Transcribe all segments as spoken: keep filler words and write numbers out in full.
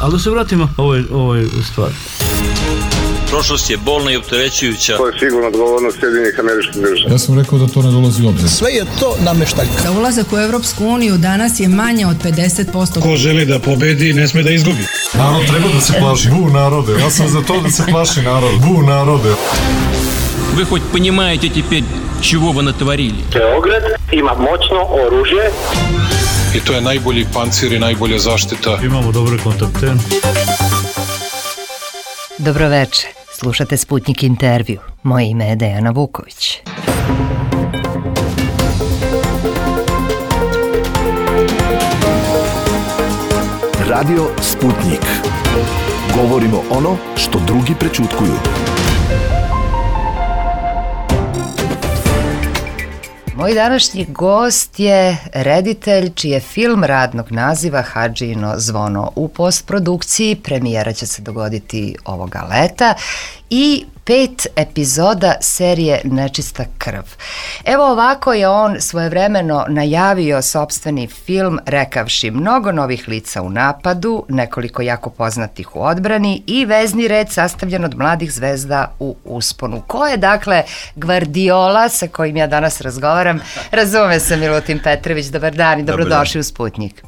Ali da se vratimo ovoj, ovoj stvari. Prošlost je bolna i opterećujuća. To je sigurno odgovornost Sjedinjenih Američkih Država. Ja sam rekao da to ne dolazi u obzir. Sve je to nameštaljka. Za ulazak u Evropsku uniju danas je manje od pedeset posto. Ko želi da pobedi, ne sme da izgubi. Narod treba da se plaši. Bu narode. Ja sam za to da se plaši narod. Bu narode. Вы хоть понимаете теперь, чего вы натворили? Beograd ima moćno oružje. I to je najbolji pancir i najbolja zaštita. Imamo dobre kontakte. Dobroveče, slušate Sputnik intervju. Moje ime je Dejana Vuković. Radio Sputnik. Govorimo ono što drugi prećutkuju. Moj današnji gost je reditelj čiji je film radnog naziva Hadžino zvono u postprodukciji. Premijera će se dogoditi ovoga leta i pet epizoda serije Nečista krv. Evo ovako je on svojevremeno najavio sopstveni film rekavši mnogo novih lica u napadu, nekoliko jako poznatih u odbrani i vezni red sastavljen od mladih zvezda u usponu. Ko je dakle Gvardiola sa kojim ja danas razgovaram? Razume se, Milutin Petrović, dobar dan i dobrodošli u Sputnik.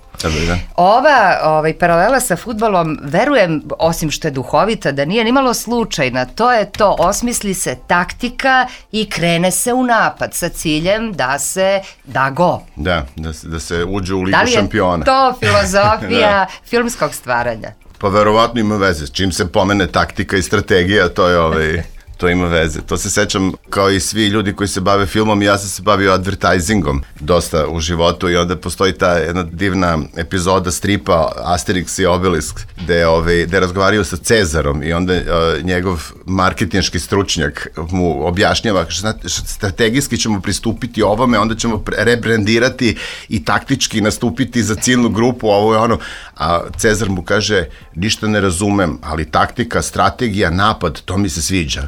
Ova ovaj, paralela sa fudbalom, verujem, osim što je duhovita, da nije nimalo slučajna. To je to, osmisli se taktika i krene se u napad sa ciljem da se da go. Da, da se, da se uđe u ligu šampiona. Da li je to filozofija filmskog stvaranja? Pa verovatno ima veze. Čim se pomene taktika i strategija, to je ovaj... to ima veze. To se sećam kao i svi ljudi koji se bave filmom, ja sam se bavio advertisingom dosta u životu i onda postoji ta jedna divna epizoda stripa Asterix i Obelisk gde, ovaj, gde razgovaraju sa Cezarom i onda uh, njegov marketinški stručnjak mu objašnjava strategijski ćemo pristupiti ovome, onda ćemo rebrandirati i taktički nastupiti za ciljnu grupu, ovo je ono, a Cezar mu kaže ništa ne razumem, ali taktika, strategija, napad, to mi se sviđa.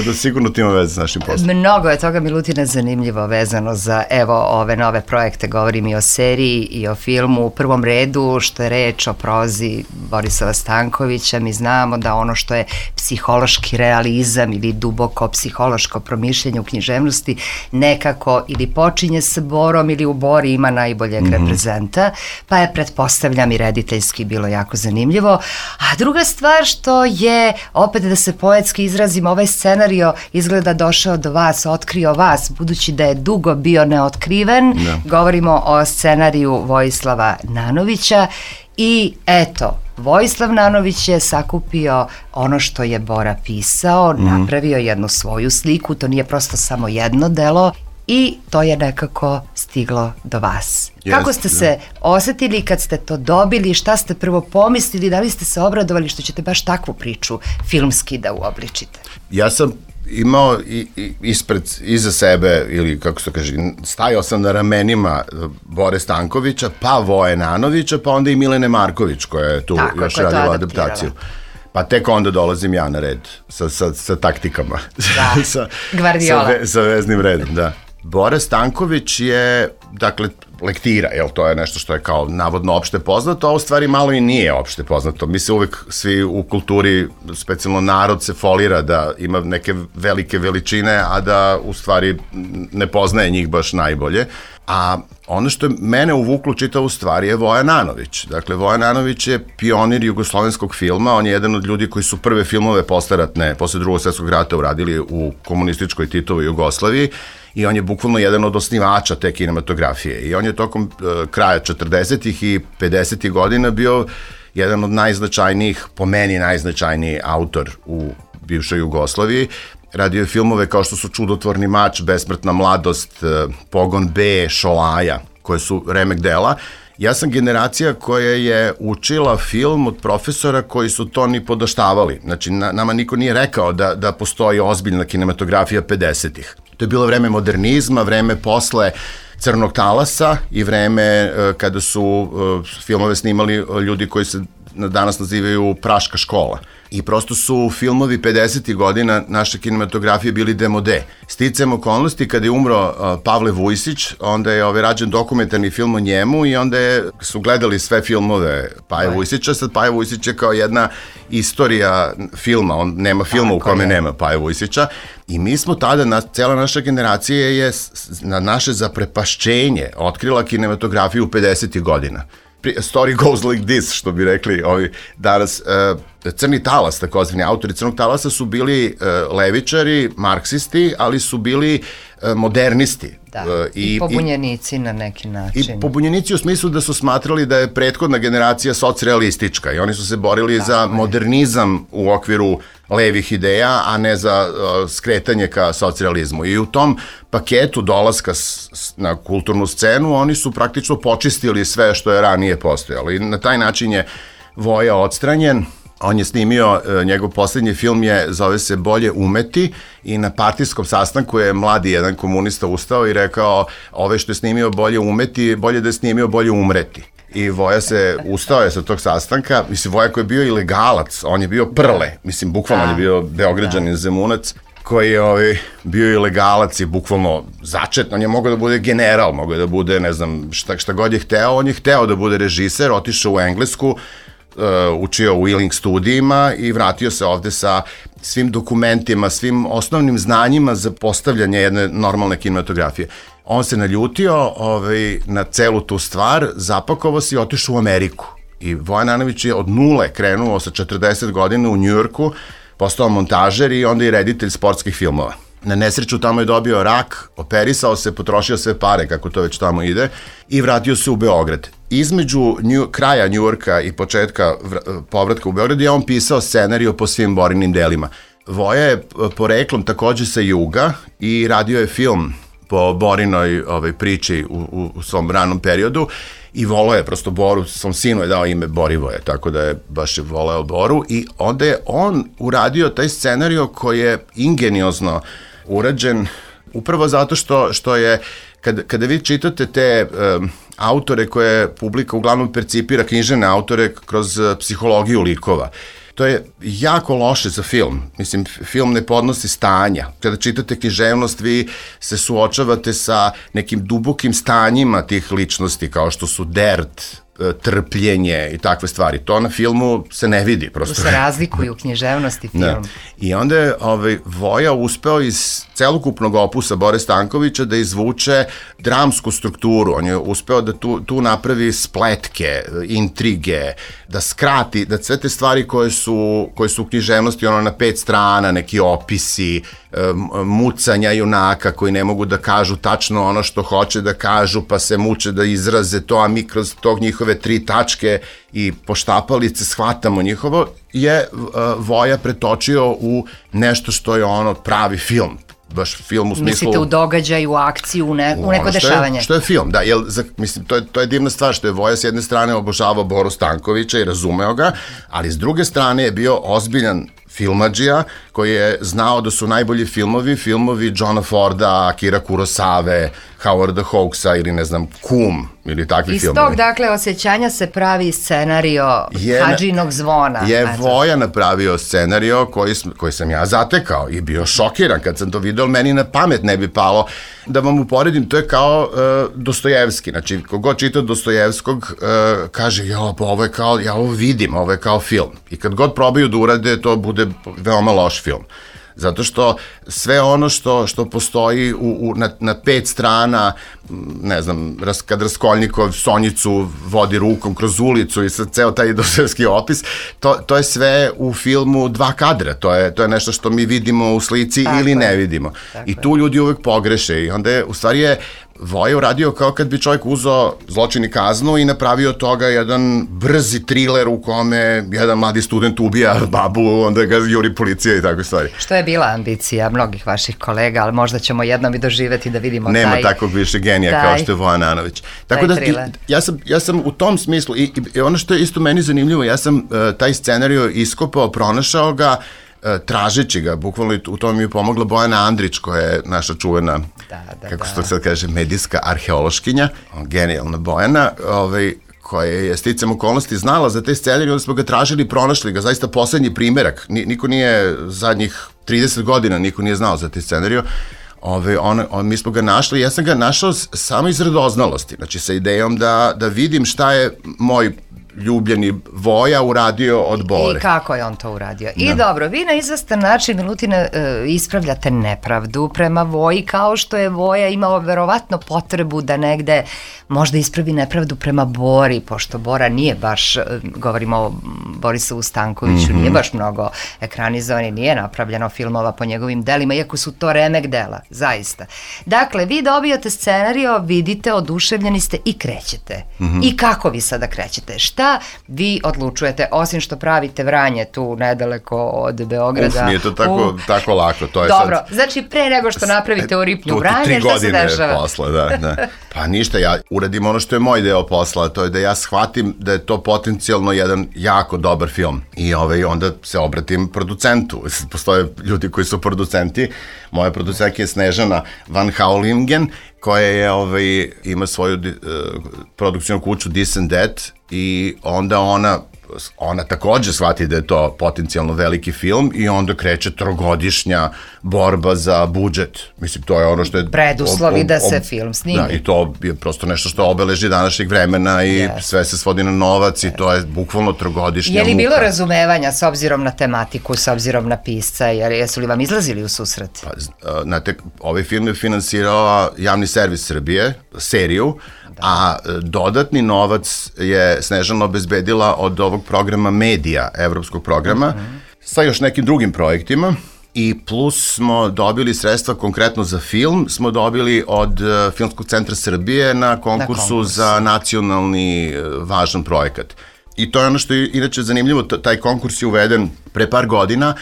Da sigurno ti ima veze s našim poslom. Mnogo je toga, Milutine, zanimljivo vezano za evo ove nove projekte. Govorim i o seriji i o filmu. U prvom redu što je reč o prozi Borislava Stankovića, mi znamo da ono što je psihološki realizam ili duboko psihološko promišljanje u književnosti nekako ili počinje sa Borom ili u Bori ima najboljeg mm-hmm. reprezenta, pa je, pretpostavljam, i rediteljski bilo jako zanimljivo. A druga stvar što je, opet da se poetski izrazim, ovaj scenario izgleda došao do vas, otkrio vas, budući da je dugo bio neotkriven. No. Govorimo o scenariju Vojislava Nanovića i eto, Vojislav Nanović je sakupio ono što je Bora pisao, mm. napravio jednu svoju sliku, to nije prosto samo jedno delo i to je nekako stiglo do vas. Yes, kako ste da. se osetili kad ste to dobili, šta ste prvo pomislili, da li ste se obradovali što ćete baš takvu priču filmski da uobličite? Ja sam imao i, i, ispred, iza sebe, ili kako se kaže, stajao sam na ramenima Bore Stankovića, pa Voje Nanovića, pa onda i Milene Marković koja je tu Tako, još radila adaptaciju. Pa tek onda dolazim ja na red sa, sa, sa taktikama. Da, sa, Gvardiola. Sa, ve, sa veznim redom, da. Bora Stanković je, dakle, lektira, jel, to je nešto što je kao navodno opšte poznato, a u stvari malo i nije opšte poznato. Mi se uvek svi u kulturi, specijalno narod, se folira da ima neke velike veličine, a da u stvari ne poznaje njih baš najbolje. A ono što je mene uvuklo čitavu stvari je Voja Nanović. Dakle, Voja Nanović je pionir jugoslovenskog filma, on je jedan od ljudi koji su prve filmove posleratne, posle drugog svjetskog rata uradili u komunističkoj Titovoj Jugoslaviji i on je bukvalno jedan od osnivača te kinematografije. I on je tokom uh, kraja četrdesetih i pedesetih godina bio jedan od najznačajnijih, po meni najznačajniji autor u bivšoj Jugoslaviji. Radio je filmove kao što su Čudotvorni mač, Besmrtna mladost, Pogon B, Šolaja, koje su remek dela. Ja sam generacija koja je učila film od profesora koji su to ni podaštavali. Znači, na, nama niko nije rekao da, da postoji ozbiljna kinematografija pedesetih. To je bilo vreme modernizma, vreme posle Crnog talasa i vreme uh, kada su uh, filmove snimali ljudi koji se danas nazivaju Praška škola. I prosto su filmovi pedesetih godina naše kinematografije bili demode. Sticajem okolnosti, kada je umro uh, Pavle Vujsić, onda je ovaj, rađen dokumentarni film o njemu i onda je, su gledali sve filmove Paje Vujsića. Sad Paje Vujsić je kao jedna istorija filma, on nema filma Tako u kome je. nema Paje Vujsića. I mi smo tada, na, cela naša generacija je na naše zaprepašćenje otkrila kinematografiju pedesetih godina. Story goes like this, što bi rekli ovi danas. Uh, Crni talas, takozvani autori Crnog talasa su bili uh, levičari, marksisti, ali su bili uh, modernisti. Da, uh, i, i pobunjenici i, na neki način. I pobunjenici u smislu da su smatrali da je prethodna generacija socrealistička i oni su se borili Tako za je. modernizam u okviru levih ideja, a ne za uh, skretanje ka socrealizmu. I u tom paketu dolaska s, s, na kulturnu scenu oni su praktično počistili sve što je ranije postojalo. I na taj način je Voja odstranjen. On je snimio, njegov poslednji film je, zove se Bolje umeti i na partijskom sastanku je mladi jedan komunista ustao i rekao ove što je snimio Bolje umeti, bolje da je snimio Bolje umreti. I Voja se, ustao je sa tog sastanka, mislim Voja koji je bio ilegalac, on je bio prle, mislim bukvalno on je bio Beograđanin Zemunac, koji je ovaj, bio ilegalac i bukvalno začet, on je mogao da bude general, mogao da bude, ne znam, šta, šta god je hteo, on je hteo da bude režiser, otišao u Englesku, Uh, učio u Ealing studijima i vratio se ovde sa svim dokumentima, svim osnovnim znanjima za postavljanje jedne normalne kinematografije. On se naljutio ovaj, na celu tu stvar, zapakovao se i otišao u Ameriku. I Voja Nanović je od nule krenuo sa četrdeset godina u Njujorku, postao montažer i onda i reditelj sportskih filmova. Na nesreću tamo je dobio rak, operisao se, potrošio sve pare, kako to već tamo ide, i vratio se u Beograd. Između New, kraja Njujorka i početka povratka u Beograd je on pisao scenariju po svim Borinim delima. Voja je poreklom takođe sa juga i radio je film po Borinoj ovaj, priči u, u, u svom ranom periodu i volao je prosto Boru, svom sinu je dao ime Borivoje, tako da je baš je voleo Boru i onda je on uradio taj scenariju koji je ingeniozno urađen upravo zato što, što je, kada, kada vi čitate te um, autore koje publika uglavnom percipira, knjižene autore kroz uh, psihologiju likova, to je jako loše za film. Mislim, film ne podnosi stanja. Kada čitate književnost, vi se suočavate sa nekim dubokim stanjima tih ličnosti, kao što su dert, trpljenje i takve stvari. To na filmu se ne vidi. Prosto. Tu se razlikuju književnost i film. Da. I onda je ovaj, Voja uspeo iz celokupnog opusa Bore Stankovića da izvuče dramsku strukturu. On je uspeo da tu, tu napravi spletke, intrige, da skrati, da sve te stvari koje su, koje su u književnosti ono na pet strana, neki opisi, mucanja junaka koji ne mogu da kažu tačno ono što hoće da kažu, pa se muče da izraze to, a mi kroz tog njihove tri tačke i poštapalice shvatamo njihovo, je uh, Voja pretočio u nešto što je ono pravi film. Baš film u smislu... Mislite u događaj, u akciju, u, ne, u neko što dešavanje. Je, što je film, da. Jel, za, mislim, to je, to je divna stvar što je Voja s jedne strane obožavao Boru Stankovića i razumeo ga, ali s druge strane je bio ozbiljan filmadžija koji je znao da su najbolji filmovi, filmovi Johna Forda, Akira Kurosave, Howarda Hawksa ili ne znam, Kum ili takvi Iz filmovi. Iz tog, dakle, osjećanja se pravi scenario Hadžinog zvona. Je Eto. Voja napravio scenario koji, koji sam ja zatekao i bio šokiran kad sam to video, meni na pamet ne bi palo. Da vam uporedim, to je kao uh, Dostojevski, znači kogod čita Dostojevskog uh, kaže, jo, pa ovo je kao, ja ovo vidim, ovo je kao film. I kad god probaju da urade, to bude veoma loš film. Zato što sve ono što, što postoji u, u, na, na pet strana, ne znam, ras, kad Raskolnikov Sonjicu vodi rukom kroz ulicu i sad ceo taj Dostojevski opis, to, to je sve u filmu dva kadra, to je, to je nešto što mi vidimo u slici tako ili je. Ne vidimo. Tako I tu ljudi uvek pogreše i onda je, u stvari je Voja uradio kao kad bi čovjek uzeo Zločin i kaznu i napravio toga jedan brzi triler u kome jedan mladi student ubija babu, onda ga juri policija i takve stvari. Što je bila ambicija mnogih vaših kolega, ali možda ćemo jednom i doživeti da vidimo Nema taj... Nema takvog više genija taj, kao što je Voja Nanović. Tako da, ja sam, ja sam u tom smislu, i, i ono što je isto meni zanimljivo, ja sam uh, taj scenario iskopao, pronašao ga, tražeći ga, bukvalno u tome mi je pomogla Bojana Andrić, koja je naša čuvena, da, da, kako se to sad kaže, medijska arheološkinja, genijalna Bojana, ovaj, koja je sticam okolnosti znala za te scenarije, onda smo ga tražili, pronašli ga, zaista poslednji primerak. Niko nije zadnjih trideset godina, niko nije znao za te scenarije. Ove, on, on, mi smo ga našli, ja sam ga našao samo iz radoznalosti, znači sa idejom da, da vidim šta je moj ljubljeni Voja uradio od Bore. I kako je on to uradio. I da. Dobro, vi na izvestan način, Milutina, ispravljate nepravdu prema Voji, kao što je Voja imao verovatno potrebu da negde možda ispravi nepravdu prema Bori, pošto Bora nije baš, govorimo o Borisovu Stankoviću, mm-hmm. nije baš mnogo ekranizovan i nije napravljeno filmova po njegovim delima, iako su to remek dela, zaista. Dakle, vi dobijate scenario, vidite, oduševljeni ste i krećete. Mm-hmm. I kako vi sada krećete? Šta vi odlučujete, osim što pravite Vranje tu nedaleko od Beograda? Uf, nije to tako, u... tako lako. To je Dobro, sad... znači pre nego što napravite u Ripnju tu, Vranje, šta se dešava? Tri godine posla, da, da. Pa ništa, ja uradim ono što je moj deo posla, to je da ja shvatim da je to potencijalno jedan jako dobar film. I ovaj, onda se obratim producentu. Postoje ljudi koji su producenti. Moja producentka je Snežana Van Haulingen, koja je, ovaj, ima svoju uh, produkcijnu kuću This and That, i onda ona ona takođe shvati da je to potencijalno veliki film i onda kreće trogodišnja borba za budžet. Mislim, to je ono što je... Preduslovi ob, ob, da se film snimi. Da, i to je prosto nešto što obeleži današnjeg vremena i yes. sve se svodi na novac yes. i to je bukvalno trogodišnja muka. Je li bilo razumevanja s obzirom na tematiku, s obzirom na pisca, jer jesu li vam izlazili u susret? Pa, znate, ovaj film je finansirao Javni servis Srbije, seriju, da. A dodatni novac je Snežana obezbedila od ovog programa Medija, evropskog programa, mm-hmm. sa još nekim drugim projektima, i plus smo dobili sredstva konkretno za film, smo dobili od uh, Filmskog centra Srbije na konkursu konkurs. za nacionalni uh, važan projekat. I to je ono što je inače zanimljivo, taj konkurs je uveden pre par godina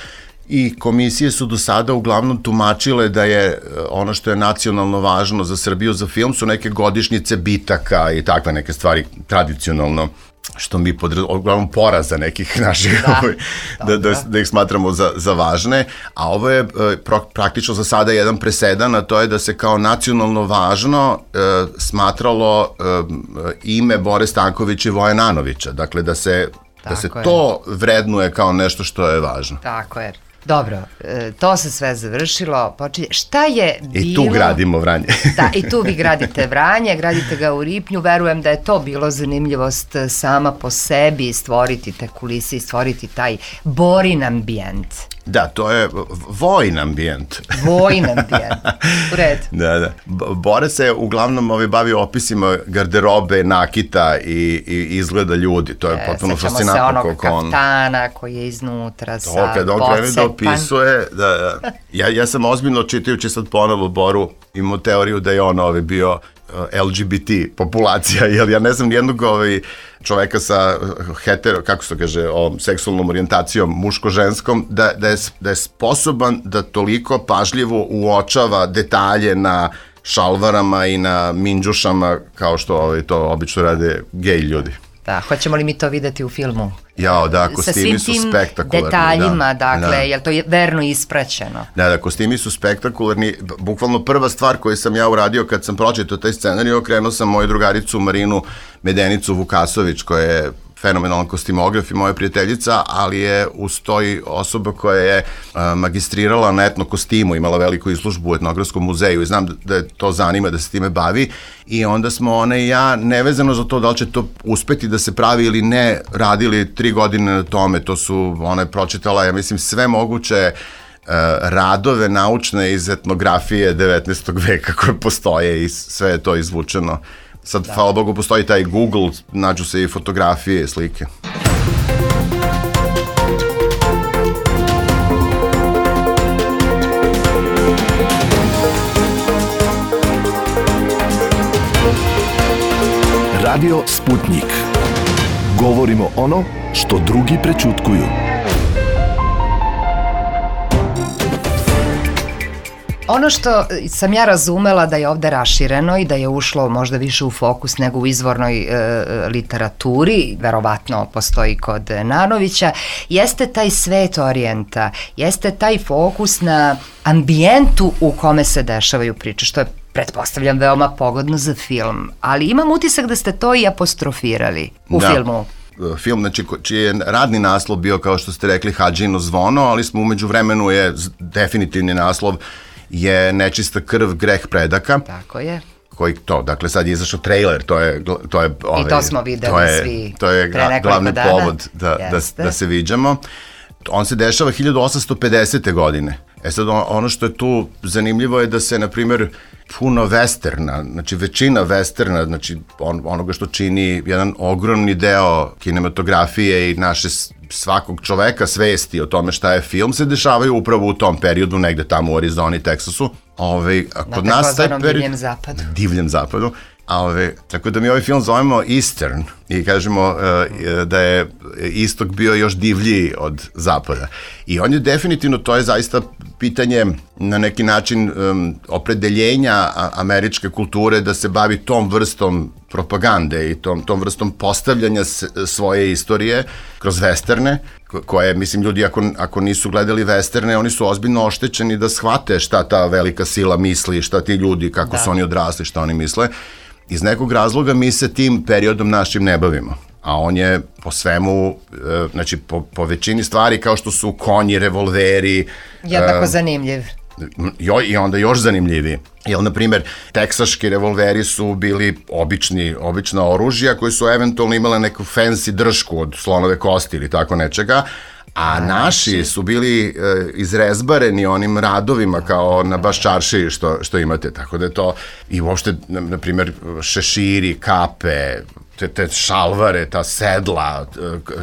i komisije su do sada uglavnom tumačile da je ono što je nacionalno važno za Srbiju, za film, su neke godišnjice bitaka i takve neke stvari tradicionalno, što mi podraz... uglavnom poraza nekih naših, da, da, da, da ih smatramo za, za važne, a ovo je pro, praktično za sada jedan presedan, a to je da se kao nacionalno važno e, smatralo e, ime Bore Stankovića i Voje Nanovića, dakle da se, da se to vrednuje kao nešto što je važno. Tako je. Dobro, to se sve završilo, počinje. Šta je bilo... I tu gradimo Vranje. Da, i tu vi gradite Vranje, gradite ga u Ripnju, verujem da je to bilo zanimljivost sama po sebi, stvoriti te kulise i stvoriti taj Borin ambijent. Da, to je vojn ambijent. Vojn ambijent, u redu. Da, da. Bore se uglavnom ovaj, bavio opisima garderobe, nakita i, i izgleda ljudi. To je e, potpuno fascinantno. Sećamo se onog kaftana on, koji je iznutra sa to, kad on krene da opisuje, da, da. Ja, ja sam ozbiljno čitajući sad ponovo Boru, imao teoriju da je on ovaj, bio L G B T populacija, jer ja ne znam nijednog ovaj, čoveka sa hetero, kako se to kaže, o seksualnom orijentacijom muško-ženskom, da, da, je, da je sposoban da toliko pažljivo uočava detalje na šalvarama i na minđušama, kao što ovaj, to obično rade gej ljudi. Da, hoćemo li mi to videti u filmu? Jao, da, kostimi su spektakularni. Detaljima, da, dakle, da. Je li to je verno ispraćeno? Da, da, kostimi su spektakularni. Bukvalno prva stvar koju sam ja uradio kad sam pročitao taj scenarij, okrenuo sam moju drugaricu Marinu Medenicu Vukasović, koja je fenomenalan kostimograf i moja prijateljica, ali je uz toj osoba koja je uh, magistrirala na etno kostimu, imala veliku izložbu u etnografskom muzeju i znam da, da je to zanima, da se time bavi, i onda smo ona i ja, nevezano za to da li će to uspeti da se pravi ili ne, radili tri godine na tome. To su, ona je pročitala, ja mislim, sve moguće uh, radove naučne iz etnografije devetnaestog veka koje postoje i sve je to izvučeno. Sad, da. Hvala Bogu, postoji taj Google, nađu se i fotografije, slike. Radio Sputnik. Govorimo ono što drugi prećutkuju. Ono što sam ja razumela da je ovde rašireno i da je ušlo možda više u fokus nego u izvornoj e, literaturi, verovatno postoji kod Nanovića, jeste taj svet orijenta, jeste taj fokus na ambijentu u kome se dešavaju priče, što je pretpostavljam veoma pogodno za film, ali imam utisak da ste to i apostrofirali u da. filmu. Film, znači, čiji je radni naslov bio, kao što ste rekli, Hadžino zvono, ali smo umeđu vremenu je, definitivni naslov je Nečista krv, greh predaka. Tako je. Koji to, dakle sad je izašao trailer, to je, to je ovaj, i to smo videli to je, svi to je pre nekoliko glavni dana. povod da, da, da se viđamo. On se dešava hiljadu osamsto pedesete godine. E sad ono što je tu zanimljivo je da se, na primjer, puno westerna, znači većina westerna, znači on, onoga što čini jedan ogromni deo kinematografije i naše svakog čoveka svesti o tome šta je film, se dešavaju upravo u tom periodu, negde tamo u Arizoni, Teksasu. Ove, a kod na nas taj period, divljem zapadu. Divljem zapadu. A ove, tako da mi ovaj film zovemo Eastern i kažemo uh, da je istok bio još divljiji od zapada. I on je definitivno, to je zaista pitanje na neki način um, opredeljenja američke kulture da se bavi tom vrstom propagande i tom, tom vrstom postavljanja s, svoje istorije kroz westerne, koje, mislim, ljudi ako, ako nisu gledali westerne, oni su ozbiljno oštećeni da shvate šta ta velika sila misli, šta ti ljudi, kako da. su oni odrasli, šta oni misle. Iz nekog razloga mi se tim periodom našim ne bavimo, a on je po svemu, znači po, po većini stvari kao što su konji, revolveri. Jednako uh, zanimljiv. Jo, i onda još zanimljiviji. Jer, na primjer, teksaški revolveri su bili obični, obična oružja koji su eventualno imale neku fancy držku od slonove kosti ili tako nečega, a naši su bili e, izrezbareni onim radovima kao na Baščaršiji što, što imate, tako da je to i uopšte, na, na primjer, šeširi, kape, te, te šalvare, ta sedla,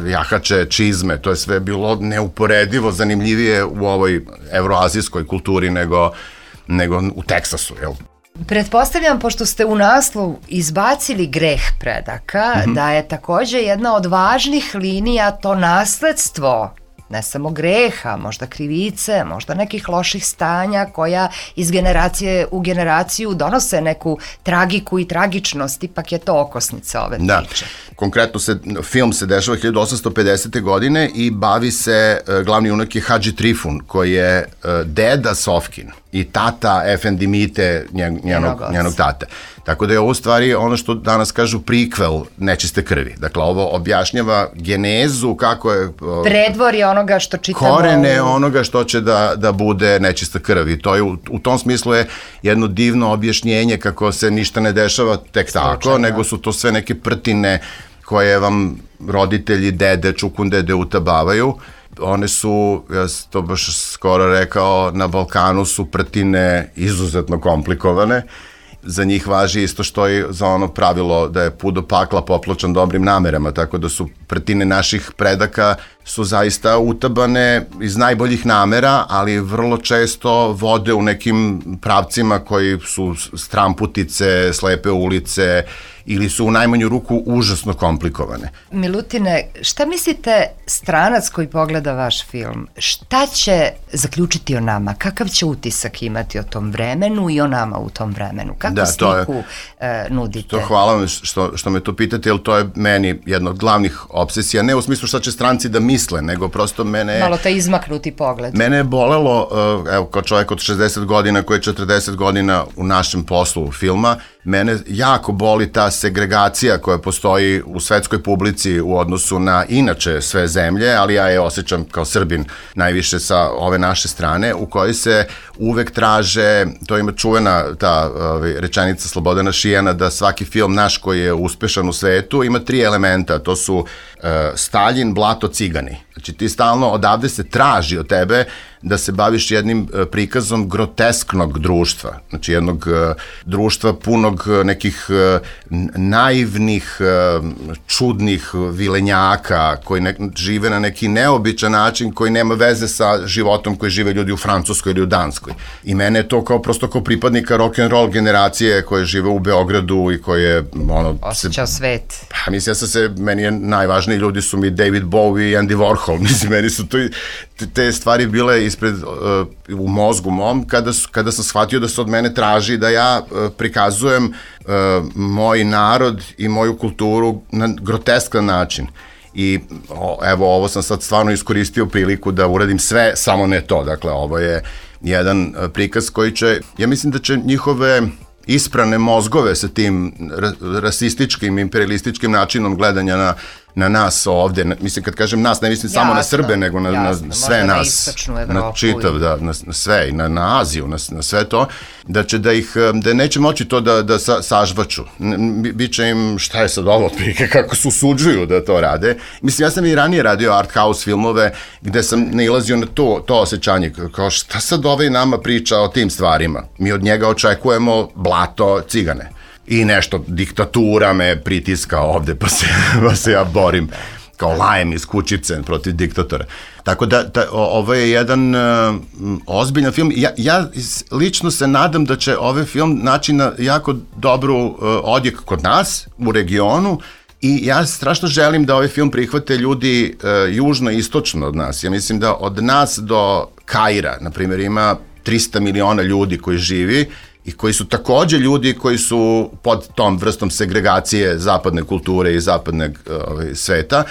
jahače, čizme, to je sve bilo neuporedivo zanimljivije u ovoj evroazijskoj kulturi nego, nego u Teksasu, jel? Pretpostavljam, pošto ste u naslovu izbacili greh predaka, mm-hmm. da je takođe jedna od važnih linija to nasledstvo, ne samo greha, možda krivice, možda nekih loših stanja koja iz generacije u generaciju donose neku tragiku i tragičnost, ipak je to okosnica ove da. priče. Konkretno se, film se dešava hiljadu osamsto pedesete godine i bavi se, glavni junak je Hadži Trifun, koji je deda Sofkin i tata Efendi Mite, njen, njenog, njenog tate. Tako da je ovo stvari ono što danas kažu prikvel Nečiste krvi. Dakle, ovo objašnjava genezu, kako je... Predvorje onoga što čitamo... Korene onoga što će da, da bude Nečista krv. I to je, u, u tom smislu je jedno divno objašnjenje kako se ništa ne dešava tek tako, Slučajno. nego su to sve neke prtine koje vam roditelji, dede, čukundede utabavaju. One su, ja sam to baš skoro rekao, na Balkanu su prtine izuzetno komplikovane. Za njih važi isto što i za ono pravilo da je put do pakla popločan dobrim namerama, tako da su prtine naših predaka su zaista utabane iz najboljih namera, ali vrlo često vode u nekim pravcima koji su stramputice, slepe ulice ili su u najmanju ruku užasno komplikovane. Milutine, šta mislite stranac koji pogleda vaš film, šta će zaključiti o nama? Kakav će utisak imati o tom vremenu i o nama u tom vremenu? Kakvu da, sliku je, e, nudite? To hvala vam što, što me to pitate, jer to je meni jedna od glavnih obsesija, ne u smislu šta će stranci da misle, nego prosto mene... Malo taj izmaknuti pogled. Mene je bolelo, evo, kao čovjek od šezdeset godina koji je četrdeset godina u našem poslu filma, mene jako boli ta segregacija koja postoji u svetskoj publici u odnosu na inače sve zemlje, ali ja je osjećam kao Srbin najviše sa ove naše strane, u kojoj se uvek traže, to ima čuvena ta ovaj, rečenica Slobodana Šijana, da svaki film naš koji je uspešan u svetu ima tri elementa, to su uh, Staljin, Blato, Cigani. Znači ti stalno odavde se traži od tebe da se baviš jednim uh, prikazom grotesknog društva, znači jednog uh, društva punog uh, nekih uh, naivnih, uh, čudnih vilenjaka koji ne, žive na neki neobičan način koji nema veze sa životom koji žive ljudi u Francuskoj ili u Danskoj. I mene je to kao prosto kao pripadnika rock'n'roll generacije koje žive u Beogradu i koje ono... Osjećao se, svet. Pa mislim, ja sam se, meni je najvažniji ljudi su mi David Bowie i Andy Warhol, mislim, meni su to, te stvari bile ispred, uh, u mozgu mom, kada, su, kada sam shvatio da se od mene traži da ja uh, prikazujem uh, moj narod i moju kulturu na groteskan način. I o, evo, ovo sam sad stvarno iskoristio priliku da uradim sve, samo ne to. Dakle, ovo je jedan uh, prikaz koji će, ja mislim da će njihove isprane mozgove sa tim rasističkim, imperialističkim načinom gledanja na, na nas ovde. Na, mislim, kad kažem nas, ne mislim jasno, samo na Srbe, nego na, jasno, na sve nas, na čitav, da, na, na sve, i na, na Aziju, na, na sve to, da će da ih, da neće moći to da, da sa, sažvaču. Biće im, šta je sad ovo, otprilike, kako se usuđuju da to rade. Mislim, ja sam i ranije radio art house filmove, gde sam nailazio na to, to osjećanje, kao šta sad ovaj nama priča o tim stvarima. Mi od njega očekujemo blato, cigane. I nešto, diktatura me pritiska ovde, pa se, pa se ja borim kao lajem iz kućice protiv diktatora. Tako da, da ovo je jedan uh, ozbiljan film. Ja, ja lično se nadam da će ovaj film naći na jako dobru uh, odjek kod nas, u regionu, i ja strašno želim da ovaj film prihvate ljudi uh, južno i istočno od nas. Ja mislim da od nas do Kaira, na primjer, ima trista miliona ljudi koji živi i koji su takođe ljudi koji su pod tom vrstom segregacije zapadne kulture i zapadnog ovaj, sveta,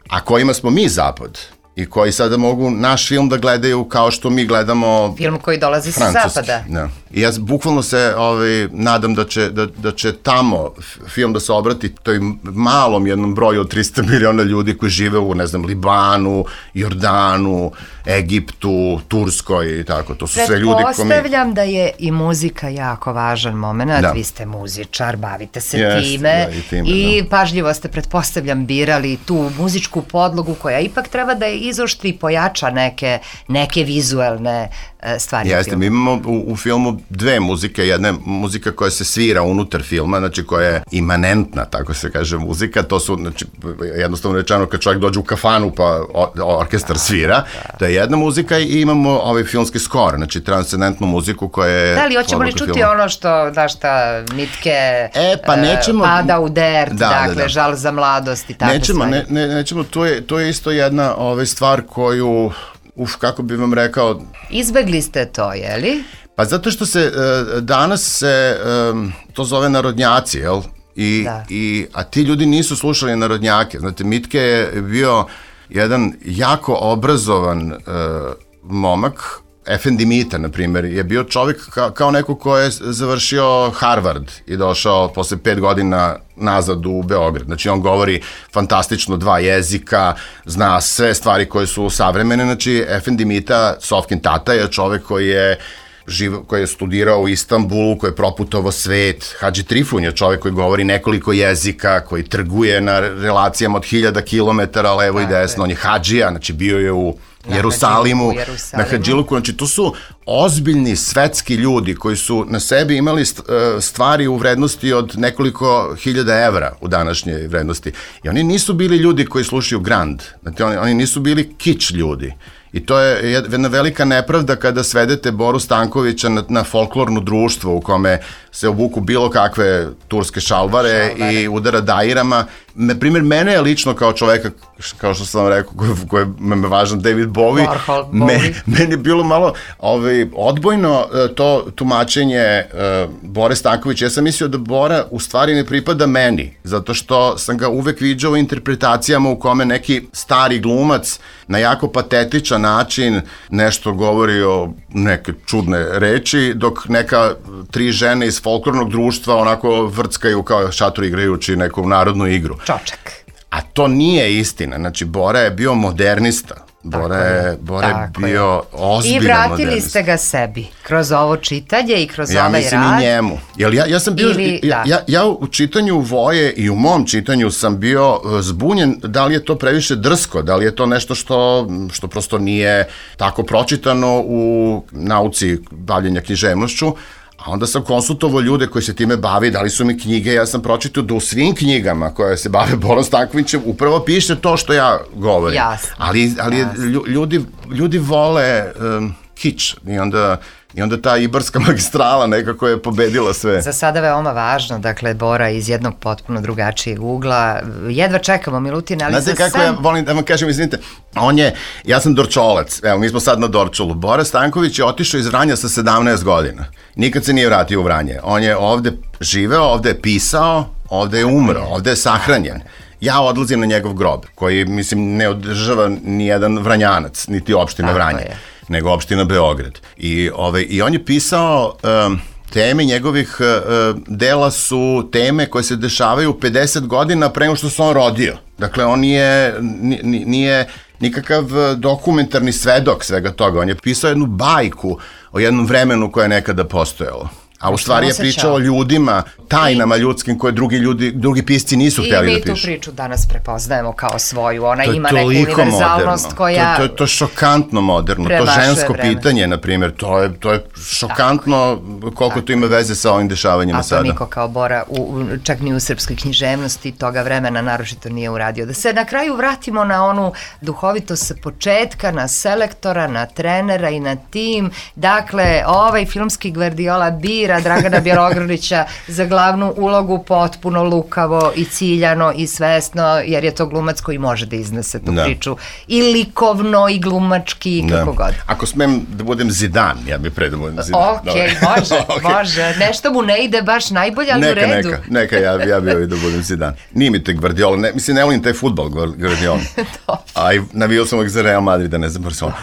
a kojima smo mi zapad i koji sada mogu naš film da gledaju kao što mi gledamo film koji dolazi sa zapada. Da. I ja bukvalno se ovaj, nadam da će, da, da će tamo film da se obrati toj malom jednom broju od trista miliona ljudi koji žive u, ne znam, Libanu, Jordanu, Egiptu, Turskoj i tako. To su sve ljudi koji mi... Pretpostavljam da je i muzika jako važan moment. Da. Vi ste muzičar, bavite se yes, time, da, i, time i da. Pažljivo ste, pretpostavljam, birali tu muzičku podlogu koja ipak treba da je izoštri i pojača neke, neke vizuelne stvari. Jeste, mi imamo u, u filmu dve muzike, jedna je muzika koja se svira unutar filma, znači koja je imanentna, tako se kaže muzika, to su, znači, jednostavno rečeno kad čovjek dođe u kafanu pa o, orkestar svira, to je jedna muzika i imamo ovaj filmski skor, znači transcendentnu muziku koja je... Da li, hoćemo li čuti filma. Ono što, da šta, Mitke e, pa nećemo, pada u dert, da, dakle, da, da. Žal za mladost i takve nećemo, stvari. Ne, ne, nećemo, to je, to je isto jedna ovaj, stvar koju... Uf, kako bi vam rekao... Izbegli ste to, je li? Pa zato što se uh, danas se um, to zove narodnjaci, jel? I, da. I, a ti ljudi nisu slušali narodnjake. Znate, Mitke je bio jedan jako obrazovan uh, momak. Efendi Mita, na primjer, je bio čovjek ka, kao neko ko je završio Harvard i došao posle pet godina nazad u Beograd. Znači, on govori fantastično dva jezika, zna sve stvari koje su savremene. Znači, Efendi Mita, Sofkin tata, je čovjek koji je živ, koji je studirao u Istanbulu, koji je proputovao svet. Hadži Trifun je čovjek koji govori nekoliko jezika, koji trguje na relacijama od hiljada kilometara levo i desno. On je hadžija, znači bio je u Jerusalimu, na Hadžiluku, znači to su ozbiljni svetski ljudi koji su na sebi imali stvari u vrednosti od nekoliko hiljada evra u današnjoj vrednosti. I oni nisu bili ljudi koji slušaju grand, znači oni, oni nisu bili kič ljudi. I to je jedna velika nepravda kada svedete Boru Stankovića na, na folklorno društvo u kome se obuku bilo kakve turske šalvare, šalvare. i udara dajirama. Na primjer, mene je lično kao čoveka, kao što sam vam rekao, koji je me važan, David Bowie, Warhol, me, meni je bilo malo ovaj, odbojno to tumačenje uh, Bore Stankovića. Ja sam mislio da Bora u stvari ne pripada meni, zato što sam ga uvek viđao u interpretacijama u kome neki stari glumac na jako patetičan način nešto govori o neke čudne reči, dok neka tri žene iz folklornog društva onako vrckaju kao šator igrajući neku narodnu igru. Čočak. A to nije istina. Znači, Bora je bio modernista. Bora je, Bora je bio ozbiljan modernista. I vratili ste ga sebi kroz ovo čitanje i kroz ja ovaj rad. Ja mislim i njemu. Jer ja, ja sam bio, Ili, ja, ja, ja u čitanju Voje i u mom čitanju sam bio zbunjen da li je to previše drsko, da li je to nešto što, što prosto nije tako pročitano u nauci bavljenja književnošću. A onda sam konsultovao ljude koji se time bavi, dali su mi knjige, ja sam pročitao da u svim knjigama koje se bave Borom Stankovićem upravo piše to što ja govorim. Jasno. Ali, ali Jasno. ljudi, ljudi vole um, kič i onda... I onda ta Ibarska magistrala nekako je pobedila sve. Za sada veoma važno, dakle, Bora iz jednog potpuno drugačijeg ugla. Jedva čekamo, Milutin, ali Znate za kako sam... ja volim da vam kažem, izvinite, on je, ja sam Dorčolac, evo, mi smo sad na Dorčolu. Bora Stanković je otišao iz Vranja sa sedamnaest godina. Nikad se nije vratio u Vranje. On je ovde živeo, ovde je pisao, ovde je umro, ovde je sahranjen. Ja odlazim na njegov grob, koji, mislim, ne održava ni jedan Vranjanac, niti opština Vranje, nego opština Beograd. I, ovaj, i on je pisao um, teme njegovih uh, dela su teme koje se dešavaju pedeset godina pre nego što se on rodio. Dakle, on nije, nije nikakav dokumentarni svedok svega toga. On je pisao jednu bajku o jednom vremenu koje je nekada postojalo. A u stvari je pričao o ljudima, tajnama ljudskim koje drugi ljudi, drugi pisci nisu htjeli da pišu. I mi tu priču danas prepoznaemo kao svoju. Ona ima neku univerzalnost koja... To, to je to šokantno moderno. To žensko vreme. Pitanje, na primjer, to je, to je šokantno koliko Tako. to ima veze sa ovim dešavanjima sada. A to niko kao Bora, u, čak ni u srpskoj književnosti toga vremena naročito nije uradio. Da se na kraju vratimo na onu duhovitost sa početka, na selektora, na trenera i na tim. Dakle, ovaj filmski Gvardiola bira Dragana Bjelogrlića za glavnu ulogu potpuno lukavo i ciljano i svesno, jer je to glumac koji može da iznese tu da. priču i likovno i glumački i kako da. god. Ako smem da budem Zidan, ja bih pre da budem Zidan. Ok, može, okay. može. Nešto mu ne ide baš najbolje, ali neka, u redu. Neka, neka, ja, ja bih ovaj da budem Zidan. Nije mi te Gvardiola, ne, mislim, ne volim taj futbol Gvardiola. A i navio sam uvijek za Real Madrid, da ne znam Barcelona.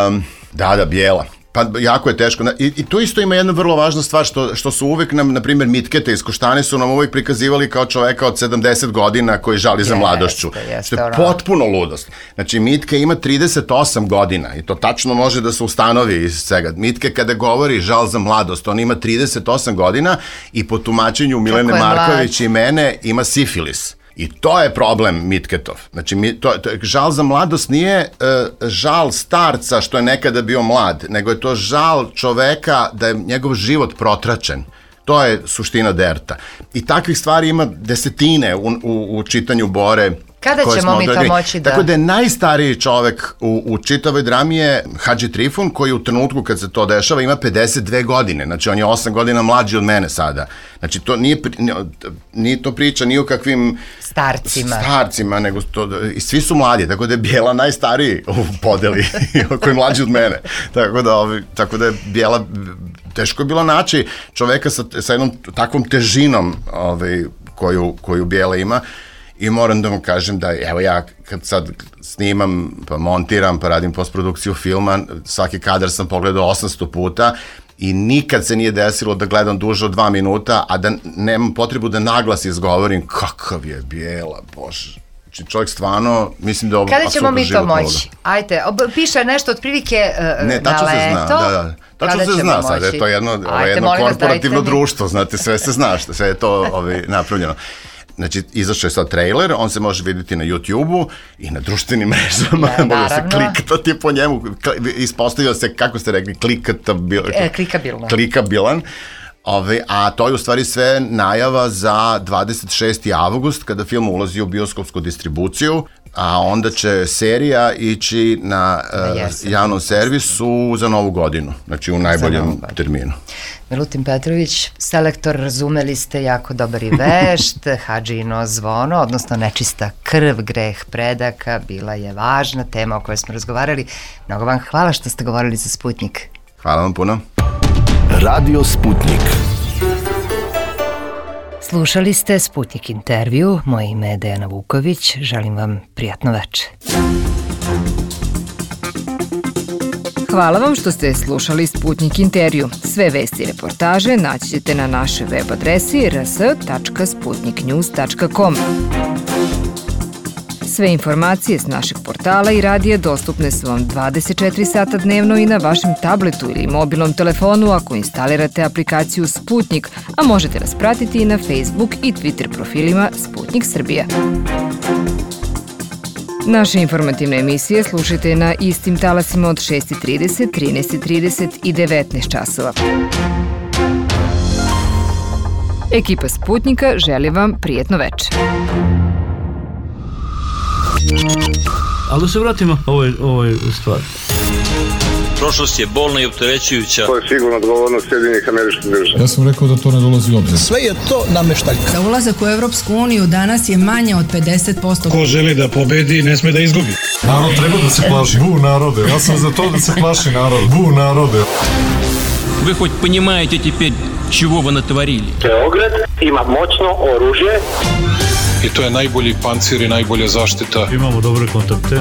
Um, da, da, Bijela. Pa jako je teško. I, i tu isto ima jedna vrlo važna stvar što, što su uvek nam, na primjer, Mitketa iz Koštane su nam uvek prikazivali kao čoveka od sedamdeset godina koji žali za mladošću. Jeste, jeste, što je potpuno ludost. Znači, Mitke ima trideset osam godina i to tačno može da se ustanovi iz svega. Mitke kada govori žal za mladost, on ima trideset osam godina i po tumačenju Milene Marković i mene ima sifilis. I to je problem Mitketov. Znači, mi, to, to, žal za mladost nije uh, žal starca što je nekada bio mlad, nego je to žal čoveka da je njegov život protračen. To je suština Derta. I takvih stvari ima desetine u, u, u čitanju Bore. Kada ćemo mi to moći da... Tako da je najstariji čovek u, u čitavoj drami je Hadži Trifun, koji u trenutku kad se to dešava ima pedeset dve godine. Znači, on je osam godina mlađi od mene sada. Znači, to nije, nije to priča ni o kakvim... Starcima. Starcima, nego to... I svi su mladi, tako da je Bijela najstariji u podeli, koji je mlađi od mene. Tako da, ovi, tako da je Bijela... Teško je bilo naći čoveka sa, sa jednom takvom težinom ovaj, koju, koju Bijela ima. I moram da vam kažem da, evo ja kad sad snimam, pa montiram, pa radim postprodukciju filma, svaki kadar sam pogledao osamsto puta i nikad se nije desilo da gledam duže od dva minuta, a da nemam potrebu da naglas izgovorim kakav je Bijela, bože. Znači čovjek stvarno, mislim da ovo kada ćemo mi to moći? Ajte, piše nešto otprilike uh, ne, tačno se zna, da, da. Tačno se zna sad, je to jedno, ovo je jedno korporativno društvo, znate, sve se zna, sve je to ovaj, napravljeno. Znači, izašao je sad trailer, on se može vidjeti na YouTube-u i na društvenim mrežama, ja, može se klikati po njemu, ispostavio se, kako ste rekli, klikatabil, e, klikabilno. klikabilan. Ove, a to je u stvari sve najava za dvadeset šesti avgust kada film ulazi u bioskopsku distribuciju, a onda će serija ići na uh, javnom servisu za novu godinu, znači u najboljem terminu. Milutin Petrović, selektor, razumeli ste, jako dobar i vešt, Hadžino zvono, odnosno nečista krv, greh predaka, bila je važna tema o kojoj smo razgovarali. Mnogo vam hvala što ste govorili za Sputnik. Hvala vam puno. Radio Sputnik. Slušali ste Sputnik intervju, moje ime je Dejana Vuković, želim vam prijatno veče. Hvala vam što ste slušali Sputnik intervju. Sve vesti i reportaže naći ćete na našoj web adresi r s tačka sputnik news tačka com. Sve informacije s našeg portala i radija dostupne su vam dvadeset četiri sata dnevno i na vašem tabletu ili mobilnom telefonu ako instalirate aplikaciju Sputnik, a možete nas pratiti i na Facebook i Twitter profilima Sputnik Srbija. Naše informativne emisije slušajte na istim talasima od šest i trideset, trinaest i trideset i devetnaest časova. Ekipa Sputnika želi vam prijetno veče. Ali da se vratimo ovoj, ovoj stvari. Prošlost je bolna i opterećujuća. To je sigurno odgovornost Sjedinjenih Američkih Država. Ja sam rekao da to ne dolazi u obzir. Sve je to nameštaljka. Za ulazak u Evropsku uniju danas je manje od pedeset posto. Ko želi da pobedi, ne sme da izgubi. Narod treba da se plaši. Bu narode. Ja sam za to da se plaši narod. Bu narode. Вы хоть понимаете теперь, чего вы натворили? Beograd ima moćno oružje. I to je najbolji pancir i najbolja zaštita. Imamo dobre kontakte.